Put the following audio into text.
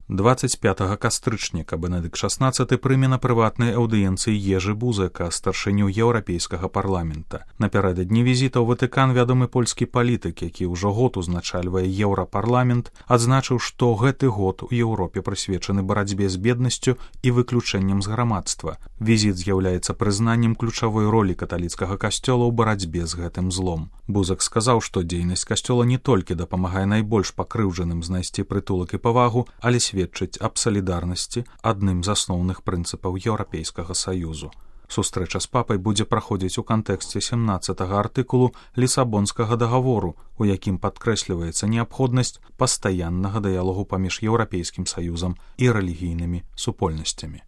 25 кастрычніка Бенедыкт XVI прыме на прыватнай аўдыенцыі Ежы Бузека, старшыню Еўрапейскага парламента. Напярэдадні візіта ў Ватыкан вядомы польскі палітык, які ўжо год узначальвае Еўрапарламент, адзначыў, што гэты год у Еўропе прысвечаны барацьбе з беднасцю і выключэннем з грамадства. Візіт з'яўляецца прызнаннем ключавой ролі каталіцкага касцёла ў барацьбе з гэтым злом. Бузак сказаў, што дзейнасць касцёла не толькі дапамагае найбольш пакрыўджаным знайсці прытулак і павагу, але сведчыць аб салідарнасці, адным з асноўных прынцыпаў Еўрапейскага саюзу. Сустрэча з папай будзе праходзіць у кантэксце 17-га артыкулу Лісабонскага дагавору, у якім падкрэсліваецца неабходнасць пастаяннага дыялогу паміж Еўрапейскім саюзам і рэлігійнымі супольнасцямі.